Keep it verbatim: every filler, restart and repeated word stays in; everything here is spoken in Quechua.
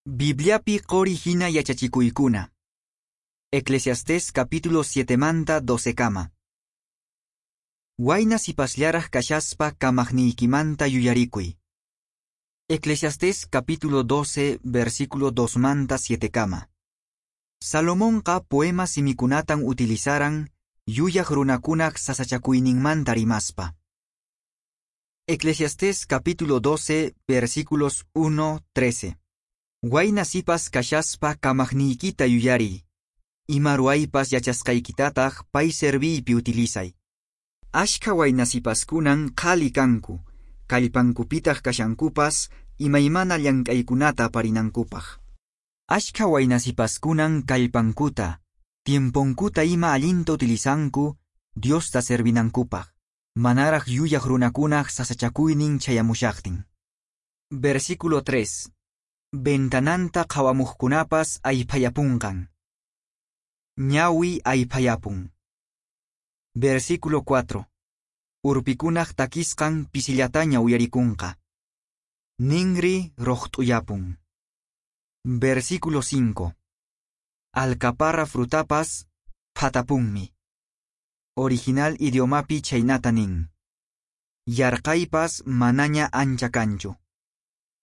Bibliapi qori hina yachachikuykuna. Eclesiastés capítulo siete manta doce kama. Wayna sipasllaraq kashaspa kamaqniykimanta yuyarikuy. Eclesiastés capítulo doce versículo dos manta siete kama. Salomonqa poema simikunatan utilizaran yuyaq runakunaq sasachakuyninmanta rimaspa. Eclesiastés capítulo doce versículos uno trece. Wayna sipas kashaspa kamaqniykita yuyariy. Ima ruwaypas yachasqaykitataq pay serviypi utilizay. Ashkha wayna sipaskunan qhali kanku, kallpankupitaq kashankupas imaymana llank'aykunata aparinankupaq. Ashkha wayna sipaskunan kallpankuta, tiemponkuta ima allinta utilizanku Diosta servinankupaq, manaraq yuyaq runakunaq sasachakuynin chayamushaqtin. Versículo tres. Ventananta qhawamuqkunapas ayphayapunqan. Ñawi ayphayapun. Versículo cuatro. Urpikunaq takisqan pisillataña uyarikunqa. Ninri roqt'uyapun. Versículo cinco. Alcaparra frutapas phatapunmi. Original idiomapi chaynata nin. Yarqaypas manaña ancha kanchu.